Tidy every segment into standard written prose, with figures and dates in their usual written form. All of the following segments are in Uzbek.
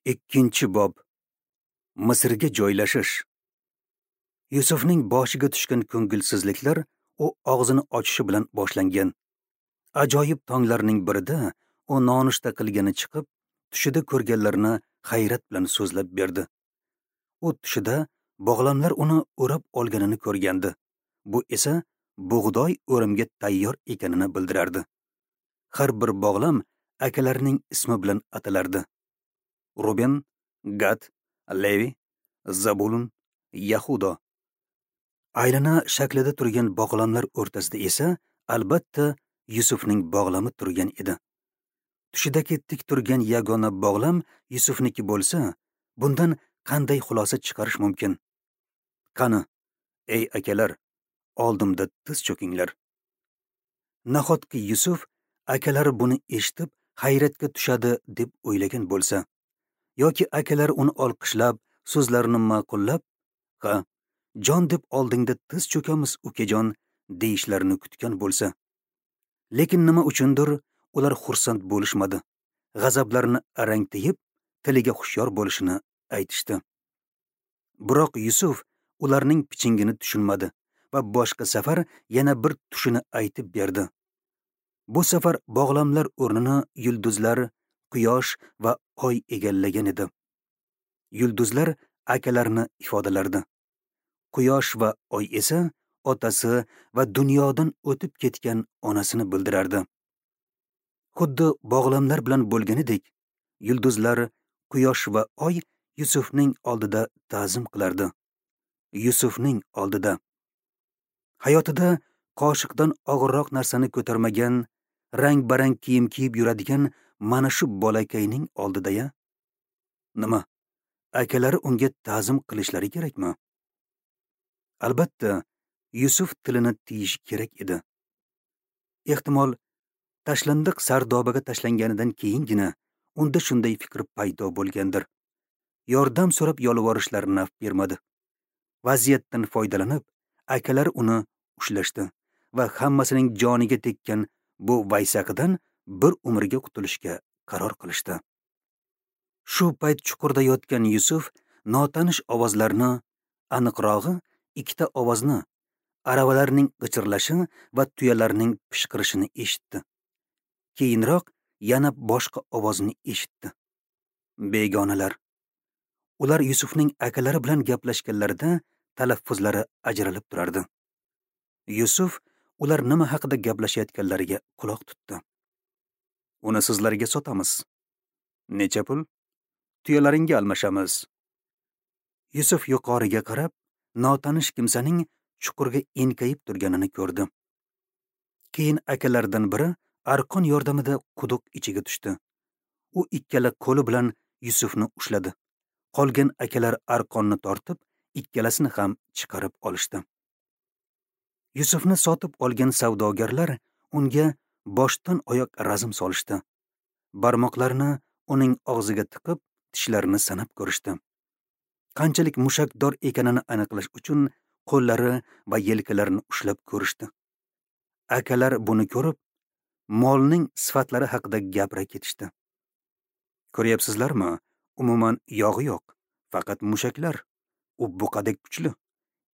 2-bob. Misrga joylashish. Yusufning boshiga tushgan ko'ngilsizliklar u og'zini ochishi bilan boshlangan. Ajoyib tonglarning birida u nonushta qilgani chiqib, tushida ko'rganlarini hayrat bilan so'zlab berdi. U tushida bog'lamlar uni o'rab olganini ko'rgandi. Bu esa bug'doy o'rimga tayyor ekanini bildirardi. Har bir bog'lam akalarining ismi bilan atalardi. Ruben, Gad, Levi, Zabulun, Yahudo. Aylana shaklida turgan bog'lamlar o'rtasida esa albatta Yusufning bog'lami turgan edi. Tushidagi tik turgan yagona bog'lam Yusufniki bo'lsa, bundan qanday xulosa chiqarish mumkin? Qani, ey akalar, oldimda tiz cho'kinglar. Nahotki Yusuf akalari buni eshitib hayratga tushadi deb o'ylagan bo'lsa, yoki akalari uni olqishlab, so'zlarini ma'qullab, "Ha, jon deb oldingda tiz cho'kamiz, ukajon" deyishlarini kutgan bo'lsa. Lekin nima uchundir ular xursand bo'lishmadi. G'azablarini arang tiyib, tiliga hushyor bo'lishini aytishdi. Biroq Yusuf ularning pichingini tushunmadi va boshqa safar yana bir tushini aytib berdi. Bu safar bog'lamlar o'rnini yulduzlar, quyosh va oy egallagan edi. Yulduzlar akalarini ifodalardi. Quyosh va oy esa otasi va dunyodan o'tib ketgan onasini bildirardi. Xuddi bog'lamlar bilan bo'lganidek, yulduzlar, quyosh va oy Yusufning oldida ta'zim qilardi. Yusufning oldida. Hayotida qoshiqdan og'irroq narsani ko'tarmagan, rang-barang kiyim kiyib yuradigan mana shu bolakayning oldida-ya. Nima? Akalari unga ta'zim qilishlari kerakmi? Albatta, Yusuf tilini tiyishi kerak edi. Ehtimol, tashlandiq sardobaga tashlanganidan keyingina unda shunday fikr paydo bo'lgandir. Yordam so'rab yolvorishlari naf bermadi. Vaziyatdan foydalanib, akalar uni ushlashdi va hammasining joniga tekkan bu vaysaqidan bir umrga qutulishga qaror qilishdi. Shu payt chuqurda yotgan Yusuf notanish ovozlarni, aniqrog'i ikkita ovozni, aravalarning g'ichirlashi va tuyalarning pishqirishini eshitdi. Keyinroq yana boshqa ovozni eshitdi. Begonalar. Ular Yusufning akalari bilan gaplashganlarida talaffuzlari ajralib turardi. Yusuf ular nima haqida gaplashayotganlariga quloq tutdi. Uni sizlarga sotamiz. Necha pul? Tuyalaringga almashamiz. Yusuf yuqoriga qarab, notanish kimsaning chuqurga enkayib turganini ko'rdi. Keyin akalardan biri arqon yordamida quduq ichiga tushdi. U ikkala qo'li bilan Yusufni ushladi. Qolgan akalar arqonni tortib, ikkalasini ham chiqarib olishdi. Yusufni sotib olgan savdogarlar unga boshdan oyoq razm solishdi. Barmoqlarini uning og'ziga tiqib, tishlarini sanab ko'rishdi. Qanchalik mushakdor ekanini aniqlash uchun qo'llari va yelkalarini ushlab ko'rishdi. Akalar buni ko'rib, molning sifatlari haqida gapira ketishdi. Ko'ryapsizlarmi? Umuman yog'i yo'q, faqat mushaklar. U buqadek kuchli.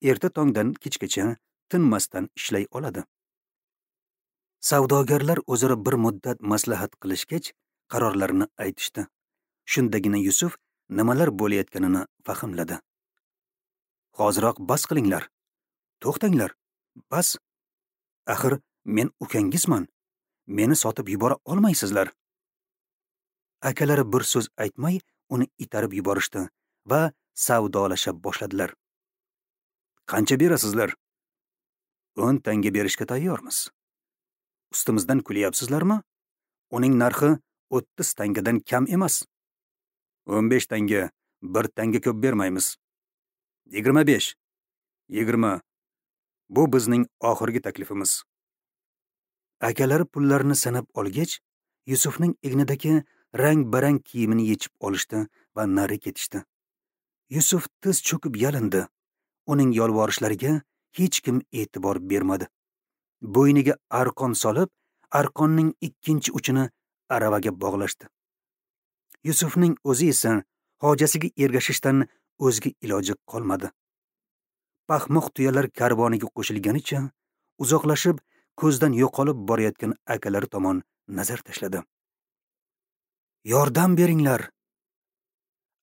Erta tongdan kechgacha tinmasdan ishlay oladi. Savdogarlar o'zaro bir muddat maslahat qilishgach, qarorlarini aytishdi. Shundagina Yusuf nimalar bo'layotganini fahmladi. Hoziroq bas qilinglar. To'xtanglar. Bas. Axir men ukangizman. Meni sotib yubora olmaysizlar. Akalari bir so'z aytmay uni itarib yuborishdi va savdolasha boshladilar. Qancha berasizlar? 10 tanga berishga tayyormiz. Ustimizdan kulyapsizlarmi? Uning narxi 30 tangadan kam emas. 15 tanga, bir tanga ko'p bermaymiz. 25. 20. Bu bizning oxirgi taklifimiz. Akalari pullarni sanab olgach, Yusufning egnidagi rang-barang kiyimini yechib olishdi va nari ketishdi. Yusuf tiz cho'kib yalindi. Uning yolvorishlariga hech kim e'tibor bermadi. Bo'yniga arqon solib, arqonning ikkinchi uchini aravaga bog'lashdi. Yusufning o'zi esa Hojasiga ergashishdan o'zga iloji qolmadi. Paxmoq tuyalar karvoniga qo'shilganicha uzoqlashib, ko'zdan yo'qolib borayotgan akalari tomon nazar tashladi. Yordam beringlar!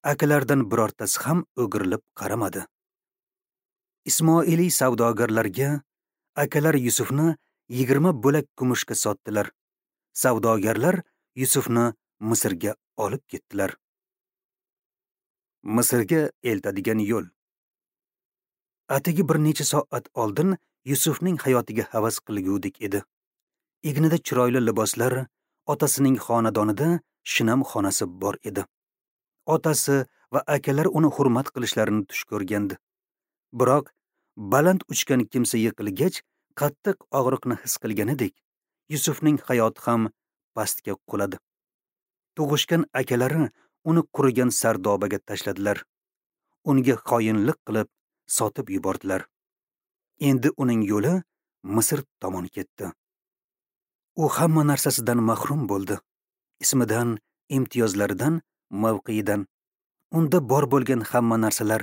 Akalardan birortasi ham o'girilib qaramadi. Ismoiliy savdogarlarga akalar Yusufni 20 bo'lak kumushga sotdilar. Savdogarlar Yusufni Misrga olib ketdilar. Misrga eltadigan yo'l. Atigi bir necha soat oldin Yusufning hayotiga havas qilgudek edi. Egnida chiroyli liboslar, otasining xonadonida shinam xonasi bor edi. Otasi va akalar uni hurmat qilishlarini tush ko'rgandi. Biroq baland uchgan kimsa yiqilgach, qattiq og'riqni his qilganidek, Yusufning hayoti ham pastga quladi. Tug'ishgan akalari uni qurigan sardobaga tashladilar. Unga xoinlik qilib sotib yubordilar. Endi uning yo'li Misr tomon ketdi. U hamma narsasidan mahrum bo'ldi. Ismidan, imtiyozlaridan, mavqiyidan. Unda bor bo'lgan hamma narsalar,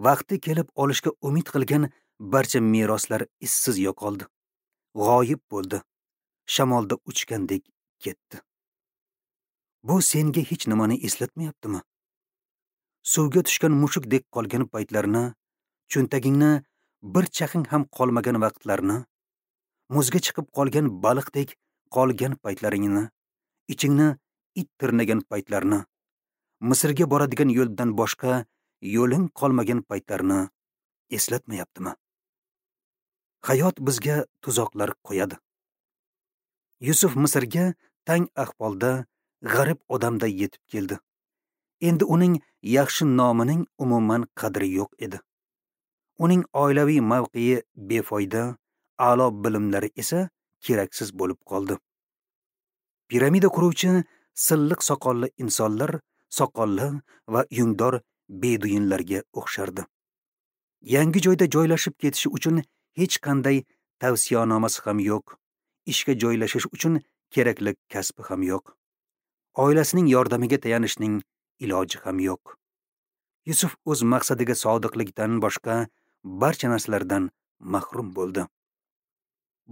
vaqti kelib olishga umid qilgan barcha meroslar izsiz yo'qoldi. G'oyib bo'ldi. Shamolda uchgandek ketdi. Bu senga hech nimani eslatmayaptimi? Suvga tushgan mushukdek qolgan paytlarni, cho'ntagingni bir chaqing ham qolmagan vaqtlarni, muzga chiqib qolgan baliqdek qolgan paytlaringni, ichingni it tirnagan paytlarni, Misrga boradigan yo'ldan boshqa yo'ling qolmagan paytlarni eslatmayaptimi? Hayot bizga tuzoqlar qo'yadi. Yusuf Misrga tang ahvolda, g'arib odamday yetib keldi. Endi uning yaxshi nomining umuman qadri yo'q edi. Uning oilaviy mavqei befoyda, a'lo bilimlari esa keraksiz bo'lib qoldi. Piramida quruvchi silliq soqolli insonlar soqolli va yungdor beduyinlarga o'xshardi. Yangi joyda joylashib ketishi uchun hech qanday tavsiyanomasi ham yo'q. Ishga joylashish uchun kerakli kasbi ham yo'q. Oilasining yordamiga tayanishning iloji ham yo'q. Yusuf o'z maqsadiga sodiqlikdan boshqa barcha narsalardan mahrum bo'ldi.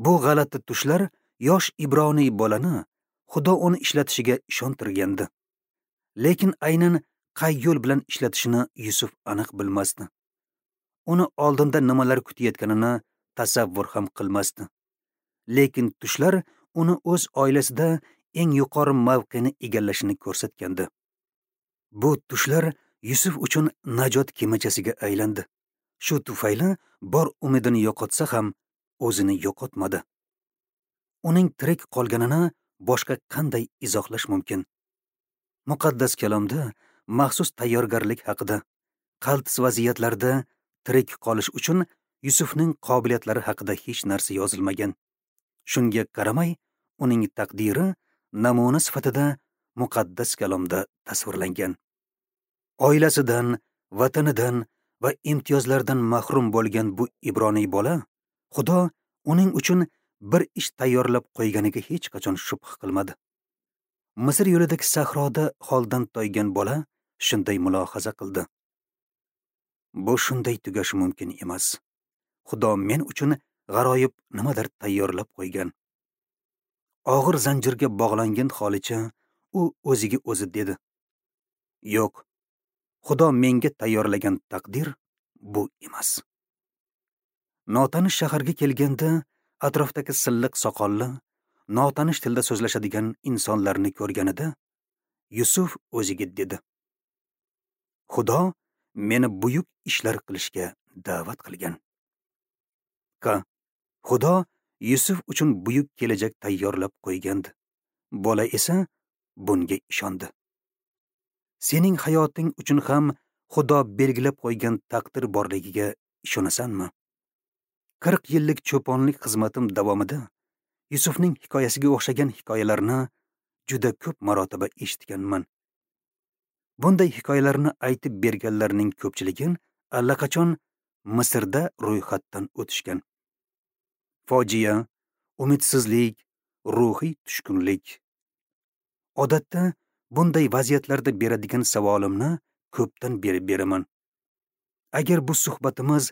Bu g'alati tushlar yosh ibroniy bolani Xudo uni ishlatishiga ishontirgandi. Lekin aynan qay yo'l bilan ishlatishini Yusuf aniq bilmasdi. Uni oldinda nimalar kutayotganini tasavvur ham qilmasdi. Lekin tushlar uni o'z oilasida eng yuqori mavqeni egallashini ko'rsatgandi. Bu tushlar Yusuf uchun najot kemachasiga aylandi. Shu tufayli bor umidini yo'qotsa ham o'zini yo'qotmadi. Uning tirik qolganini boshqa qanday izohlash mumkin? Muqaddas kalomda maxsus tayyorgarlik haqida, qaltis vaziyatlarda tirik qolish uchun Yusufning qobiliyatlari haqida hech narsa yozilmagan. Shunga qaramay, uning taqdiri namuna sifatida muqaddas kalomda tasvirlangan. Oilasidan, vatanidan va imtiyozlardan mahrum bo'lgan bu ibroniy bola Xudo uning uchun bir ish tayyorlab qo'yganiga hech qachon shubha qilmadi. Misr yo'lidagi sahroda holdan toygan bola shunday mulohaza qildi: Bu shunday tugashi mumkin emas. Xudo men uchun g'aroyib nimadir tayyorlab qo'ygan. Og'ir zanjirga bog'langan holicha u o'ziga o'zi dedi: Yo'q, Xudo menga tayyorlagan taqdir bu emas. Notanish shaharga kelganda atrofdagi silliq soqolli, notanish tilda so'zlashadigan insonlarni ko'rganida Yusuf o'ziga dedi: Xudo meni buyuk ishlar qilishga da'vat qilgan. Ha, Xudo Yusuf uchun buyuk kelajak tayyorlab qo'ygandi. Bola esa bunga ishondi. Sening hayoting uchun ham Xudo belgilab qo'ygan taqdir borligiga ishonasanmi? 40 yillik cho'ponlik xizmatim davomida Yusufning hikoyasiga o'xshagan hikoyalarni juda ko'p marotaba eshitganman. Bunday hikoyalarni aytib berganlarning ko'pchiligi allaqachon Misrda ro'yxatdan o'tishgan. Fojia, umidsizlik, ruhiy tushkunlik. Odatda bunday vaziyatlarda beradigan savolimni ko'pdan beri beraman. Agar bu suhbatimiz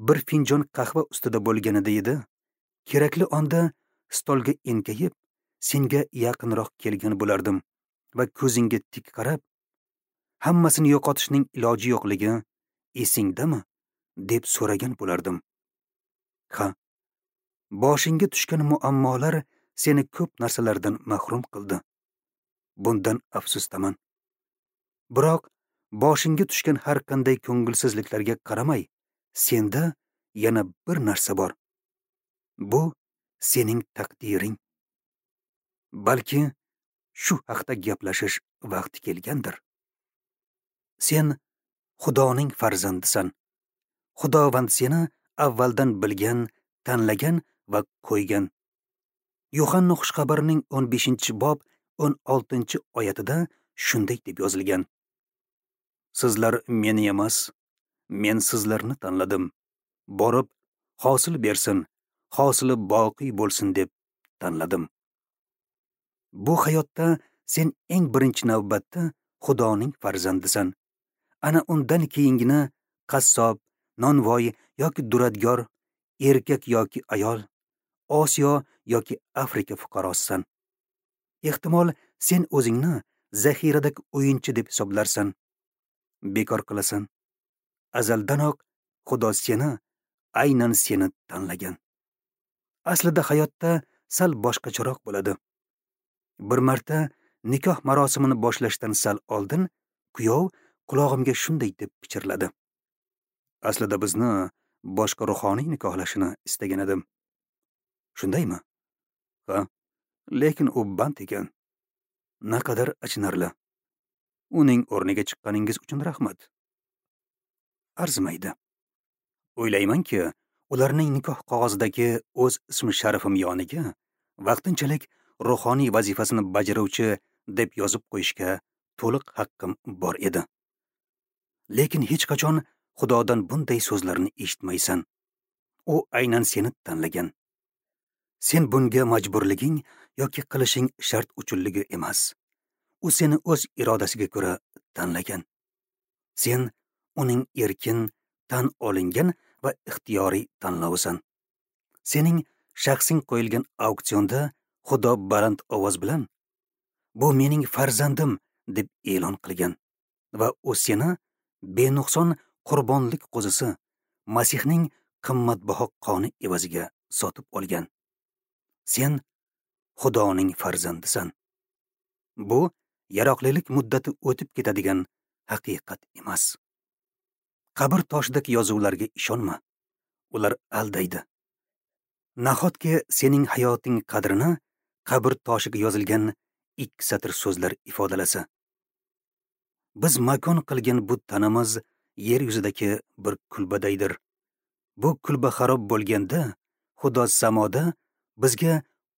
bir finjon qahva ustida bo'lganida edi, kerakli onda stolga enkayib, senga yaqinroq kelgan bo'lardim va ko'zingga tik qarab, hammasini yo'qotishning iloji yo'qligi esingdami, deb so'ragan bo'lardim. Ha, boshingga tushgan muammolar seni ko'p narsalardan mahrum qildi. Bundan afsusdaman. Biroq boshingga tushgan har qanday ko'ngilsizliklarga qaramay, senda yana bir narsa bor. Bu sening taqdiring. Balki shu haqda gaplashish vaqti kelgandir. Sen Xudoning farzandisan. Xudovand seni avvaldan bilgan, tanlagan va qo'ygan. Yuhanna xushxabarining 15-bob 16-oyatida shunday deb yozilgan: Sizlar meni emas, men sizlarni tanladim. Borib hosil bersin, hosili boqiy bo'lsin deb tanladim. Bu hayotda sen eng birinchi navbatda Xudoning farzandisan. Ana undan keyingina qassob, nonvoy yoki duradgor, erkak yoki ayol, Osiyo yoki Afrika fuqarosisan. Ehtimol sen o'zingni zaxiradagi o'yinchi deb hisoblarsan. Bekor qilasan. Azaldanoq Xudo seni, aynan seni tanlagan. Aslida hayotda sal boshqacharoq bo'ladi. Bir marta nikoh marosimini boshlashdan sal oldin kuyov qulog'imga shunday deb pichirladi: Aslida bizni boshqa ruhoniy nikohlashini istagan edim. Shundaymi? Ha, lekin u band ekan. Naqadar achinarli. Uning o'rniga chiqqaningiz uchun rahmat. Arzimaydi. O'ylaymanki, ularning nikoh qog'ozidagi o'z ismi sharifim yoniga vaqtinchalik ruhoniy vazifasini bajaruvchi deb yozib qo'yishga to'liq haqqim bor edi. Lekin hech qachon Xudodan bunday so'zlarni eshitmaysan. U aynan seni tanlagan. Sen bunga majburliging yoki qilishing shart uchunligi emas. U seni o'z irodasiga ko'ra tanlagan. Sen uning erkin, tan olingan va ixtiyoriy tanlovisan. Sening shaxsing qo'yilgan auksionda Xudo baland ovoz bilan "Bu mening farzandim" deb e'lon qilgan va u seni benuqson qurbonlik qo'zisi Masihning qimmatbaho qoni evaziga sotib olgan. Sen Xudoning farzandisan. Bu yaroqlilik muddati o'tib ketadigan haqiqat emas. Qabr toshidagi yozuvlarga ishonma. Ular aldaydi. Nahotki sening hayoting qadrini qabr toshiga yozilgan 2 satr so'zlar ifodalasa? Biz makon qilgan bu tanamiz yer yuzidagi bir kulbadaydir. Bu kulba xarob bo'lganda, Xudo samoda bizga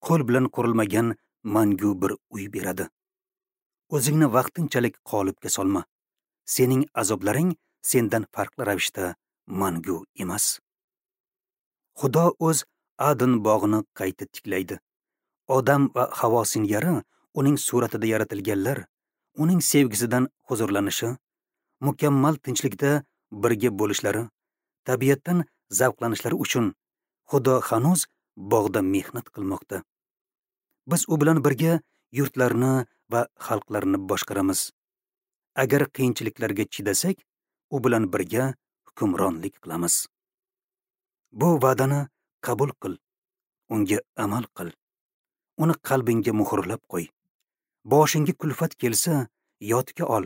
qo'l bilan qurilmagan mangu bir uy beradi. O'zingni vaqtinchalik qolipga solma. Sening azoblaring sendan farqli ravishda mangu emas. Xudo o'z Adn bog'ini qayta tiklaydi. Odam va Havo singari uning suratida yaratilganlar, uning sevgisidan huzurlanishi, mukammal tinchlikda birga bo'lishlari, tabiatdan zavqlanishlari uchun Xudo hanuz bog'da mehnat qilmoqda. Biz u bilan birga yurtlarni va xalqlarni boshqaramiz. Agar qiyinchiliklarga chidasak, u bilan birga hukmronlik qilamiz. Bu va'dani qabul qil, unga amal qil. Uni qalbingga muhrlab qo'y. Boshingga kulfat kelsa, yodga ol.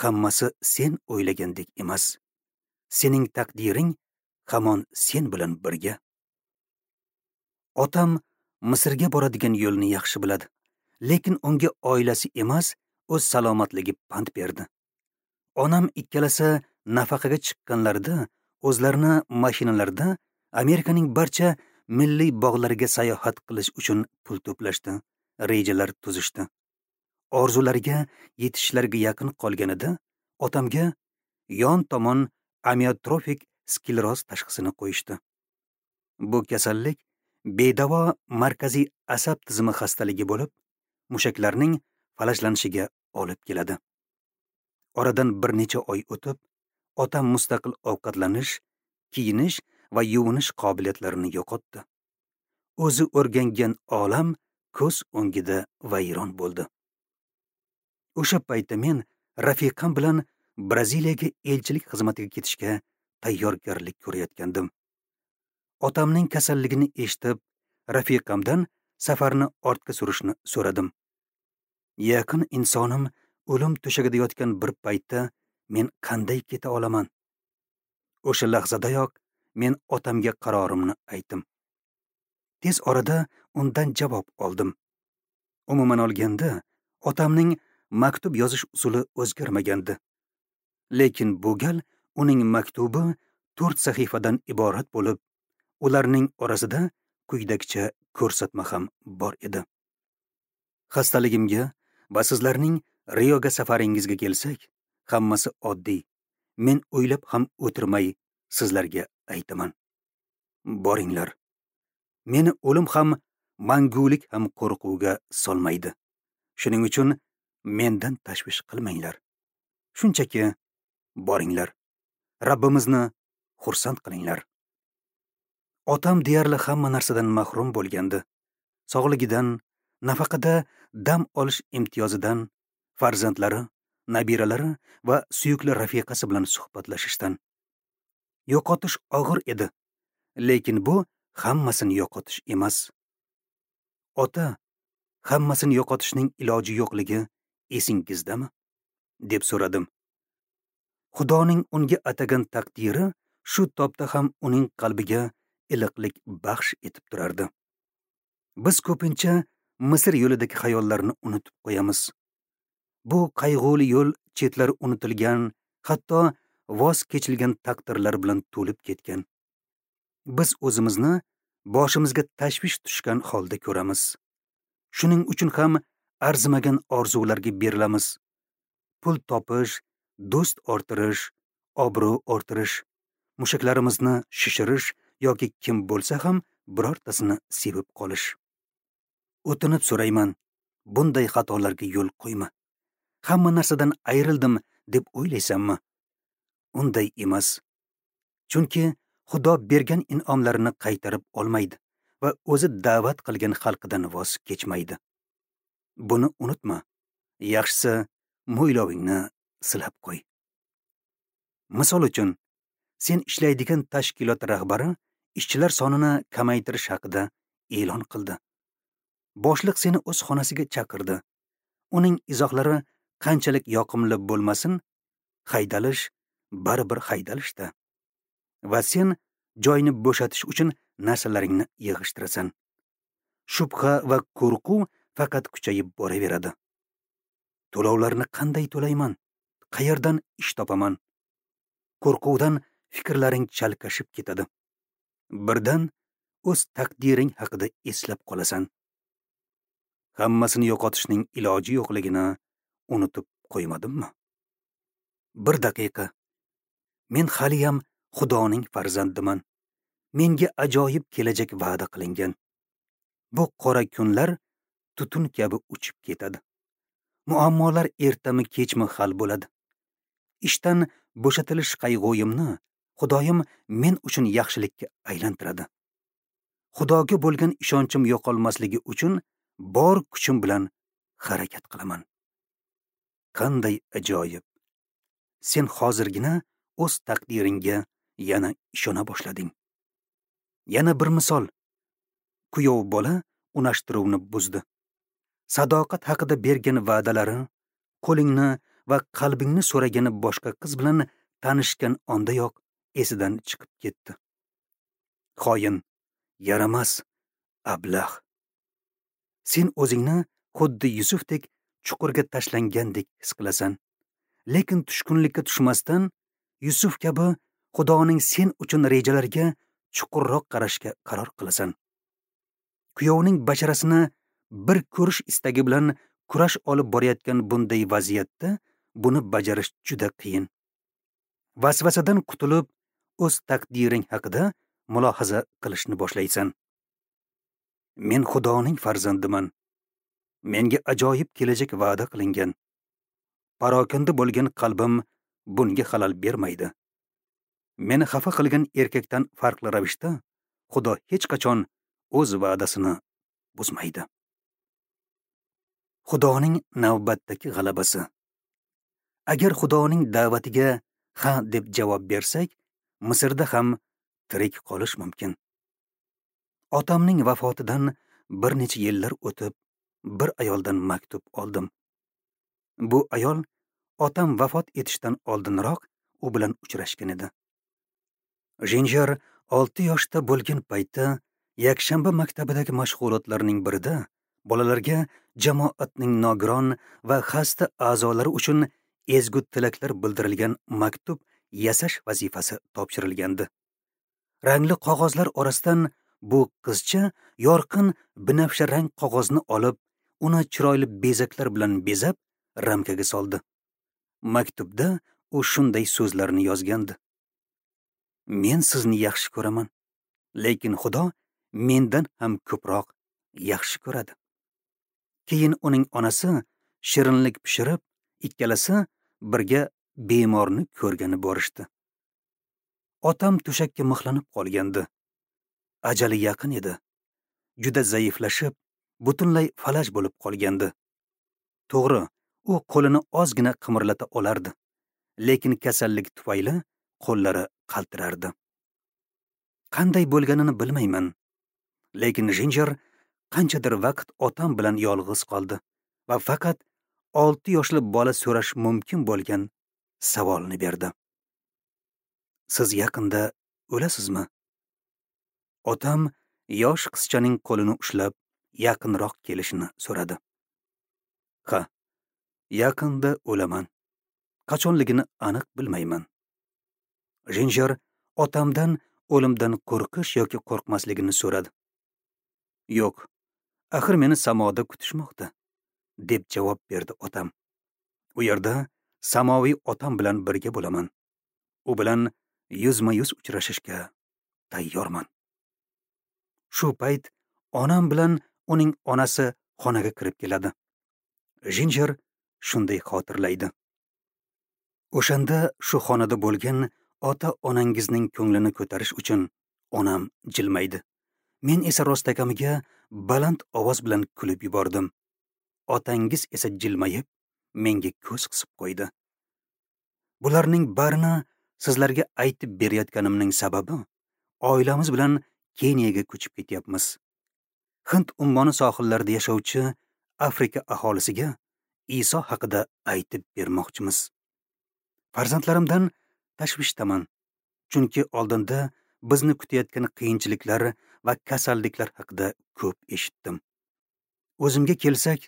Hammasi sen o'ylagandek emas. Sening taqdiring hamon sen bilan birga. Otam Misrga boradigan yo'lni yaxshi biladi, lekin unga oilasi emas, o'z salomatligi pand berdi. Onam ikkalasi nafaqaga chiqqanlarida o'zlarini mashinalarda Amerikaning barcha milliy bog'lariga sayohat qilish uchun pul to'plashdi, rejalar tuzishdi. Orzulariga yetishlariga yaqin qolganida otamga yon tomon amiotrofik skleroz tashxisini qo'yishdi. Bu kasallik bedavo markaziy asab tizimi xastaligi bo'lib, mushaklarning falajlanishiga olib keladi. Oradan bir necha oy o'tib, otam mustaqil ovqatlanish, kiyinish va yuvinish qobiliyatlarini yo'qotdi. O'zi o'rgangan olam ko'z o'ngida vayron bo'ldi. O'sha paytda men rafiqam bilan Braziliyaga elchilik xizmatiga ketishga tayyorgarlik ko'rayotgandim. Otamning kasalligini eshitib, rafiqamdan safarni ortga surishni so'radim. Yaqin insonim o'lim to'shagida yotgan bir paytda men qanday keta olaman? O'sha lahzadayoq men otamga qarorimni aytdim. Tez orada undan javob oldim. Umuman olganda, otamning maktub yozish usuli o'zgarmagandi. Lekin bu gal uning maktubi 4 sahifadan iborat bo'lib, ularning orasida quyidagicha ko'rsatma ham bor edi. Xastaligimga va sizlarning Rioga safaringizga kelsak, hammasi oddiy. Men o'ylab ham o'tirmay sizlarga aytaman. Boringlar. Meni o'lim ham, mangulik ham qo'rquvga solmaydi. Shuning uchun mendan tashvish qilmanglar. Shunchaki boringlar. Rabbimizni xursand qilinglar. Otam deyarli hamma narsadan mahrum bo'lgandi. Sog'ligidan, nafaqada dam olish imtiyozidan, farzandlari, nabiralari va suyukli rafiqasi bilan suhbatlashishdan. Yo'qotish og'ir edi, lekin bu hammasini yo'qotish emas. Ota, hammasini yo'qotishning iloji yo'qligi esingizdami? Deb so'radim. Xudoning unga atagan taqdiri shu topda ham uning qalbiga iliqlik baxsh etib turardi. Biz ko'pincha Misr yo'lidagi xayollarni unutib qo'yamiz. Bu qayg'uli yo'l chetlari unutilgan, hatto voz kechilgan taqdirlar bilan to'lib ketgan. Biz o'zimizni boshimizga tashvish tushgan holda ko'ramiz. Shuning uchun ham arzimagan orzularga berilamiz. Pul topish, do'st orttirish, obro' orttirish, mushaklarimizni shishirish yoki kim bo'lsa ham birortasini sevib qolish. O'tinib so'rayman, bunday xatolarga yo'l qo'yma. Hamma narsadan ayrildim deb o'ylaysanmi? Unday emas. Chunki Xudo bergan in'omlarini qaytarib olmaydi va o'zi da'vat qilgan xalqidan voz kechmaydi. Buni unutma. Yaxshisi mo'ylovingni silab qo'y. Misol uchun, sen ishlaydigan tashkilot rahbari ishchilar sonini kamaytirish haqida e'lon qildi. Boshliq seni o'z xonasiga chaqirdi. Uning izohlari qanchalik yoqimli bo'lmasin, haydalish baribir haydalishda. Va sen joyni bo'shatish uchun narsalaringni yig'ishtirasan. Shubha va qo'rquv faqat kuchayib boraveradi. To'lovlarni qanday to'layman? Qayerdan ish topaman? Qo'rquvdan fikrlaring chalkashib ketadi. Birdan o'z taqdiring haqida eslab qolasan. Hammasini yo'qotishning iloji yo'qligini unutib qo'ymadimmi? Bir daqiqa. Men haliyam Xudoning farzandiman. Menga ajoyib kelajak va'da qilingan. Bu qora kunlar tutun kabi uchib ketadi. Muammolar ertami kechmi hal bo'ladi. Ishdan bo'shatilish qayg'uyimni Xudoyim men uchun yaxshilikka aylantiradi. Xudoga bo'lgan ishonchim yo'qolmasligi uchun bor kuchim bilan harakat qilaman. Qanday ajoyib! Sen hozirgina o'z taqdiringga yana ishona boshlading. Yana bir misol. Kuyov bola unashtiruvni buzdi. Sadoqat haqida bergan va'dalari, qo'lingni va qalbingni so'ragani boshqa qiz bilan tanishgan ondayoq esidan chiqib ketdi. Xoin, yaramas, ablah. Sen o'zingni xuddi Yusufdek chuqurga tashlangandek his qilasan. Lekin tushkunlikka tushmasdan Yusuf kabi Xudoning sen uchun rejalariga chuqurroq qarashga qaror qilasan. Kuyovning basharasini bir ko'rish istagi bilan kurash olib borayotgan bunday vaziyatda buni bajarish juda qiyin. Vasvasadan qutulib, o'z taqdiring haqida mulohaza qilishni boshlaysan. Men Xudoning farzandiman. Menga ajoyib kelajak va'da qilingan. Parokanda bo'lgan qalbim bunga xalal bermaydi. Meni xafa qilgan erkakdan farqli ravishda Xudo hech qachon o'z va'dasini buzmaydi. Xudoning navbatdagi g'alabasi. Agar Xudoning da'vatiga ha deb javob bersak, Misrda ham tirik qolish mumkin. Otamning vafotidan bir necha yillar o'tib, bir ayoldan maktub oldim. Bu ayol otam vafot etishdan oldinroq u bilan uchrashgan edi. Jinjer 6 yoshda bo'lgan paytda yakshanba maktabidagi mashg'ulotlarning birida bolalarga jamoatning nogiron va xasta a'zolari uchun ezgu tilaklar bildirilgan maktub yasash vazifasi topshirilgandi. Rangli qog'ozlar orasidan bu qizcha yorqin binafsha rang qog'ozni olib, uni chiroyli bezaklar bilan bezab, ramkaga soldi. Maktubda u shunday so'zlarni yozgandi: Men sizni yaxshi ko'raman, lekin Xudo mendan ham ko'proq yaxshi ko'radi. Keyin uning onasi shirinlik pishirib, ikkalasi birga bemorni ko'rgani borishdi. Otam to'shakka mixlanib qolgandi. Ajali yaqin edi. Juda zaiflashib, butunlay falaj bo'lib qolgandi. To'g'ri, u qo'lini ozgina qimirlata olardi, lekin kasallik tufayli qo'llari qaltirardi. Qanday bo'lganini bilmayman, lekin Jinjer qanchadir vaqt otam bilan yolg'iz qoldi va faqat 6 yoshli bola so'rash mumkin bo'lgan savolni berdi. Siz yaqinda o'lasizmi? Otam yosh qizchaning qo'lini ushlab yaqinroq kelishini so'radi. Ha, yaqinda o'laman. Qachonligini aniq bilmayman. Jinjer otamdan o'limdan qo'rqish yoki qo'rqmasligini so'radi. Yo'q, axir meni samoda kutishmoqda, deb javob berdi otam. U yerda samoviy otam bilan birga bo'laman. U bilan yuzma-yuz uchrashishga tayyorman. Shu payt onam bilan uning onasi xonaga kirib keladi. Jinjer shunday xotirlaydi: O'shanda shu xonada bo'lgan ota-onangizning ko'nglini ko'tarish uchun onam jilmaydi. Men esa rostakamiga baland ovoz bilan kulib yubordim. Otangiz esa jilmayib menga ko'z qisib qo'ydi. Bularning barini sizlarga aytib berayotganimning sababi oilamiz bilan Keniyaga ko'chib ketyapmiz. Hind ummoni sohillarida yashovchi Afrika aholisiga Iso haqida aytib bermoqchimiz. Farzandlarimdan tashvishdaman, chunki oldinda bizni kutayotgan qiyinchiliklar va kasalliklar haqida ko'p eshitdim. O'zimga kelsak,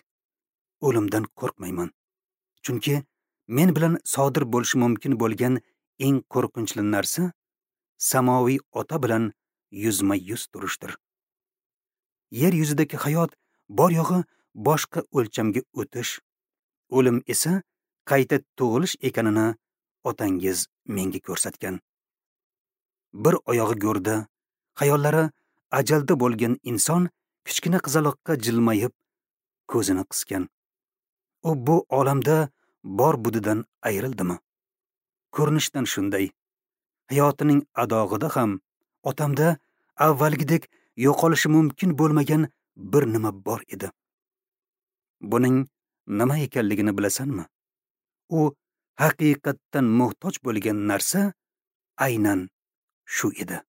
o'limdan qo'rqmayman. Chunki men bilan sodir bo'lishi mumkin bo'lgan eng qo'rqinchli narsa samoviy ota bilan yuzma-yuz turishdir. Yer yuzidagi hayot bor yo'g'i boshqa o'lchamga o'tish, o'lim esa qayta tug'ilish ekanini otangiz menga ko'rsatgan. Bir oyog'i go'rda, xayollari ajalda bo'lgan inson kichkina qizaloqqa jilmayib ko'zini qisgan. U bu olamda bor budidan ayrildimi? Ko'rinishdan shunday. Hayotining adog'ida ham otamda avvalgidek yo'qolishi mumkin bo'lmagan bir nima bor edi. Buning nima ekanligini bilasanmi? U haqiqatdan muhtoj bo'lgan narsa aynan shu edi.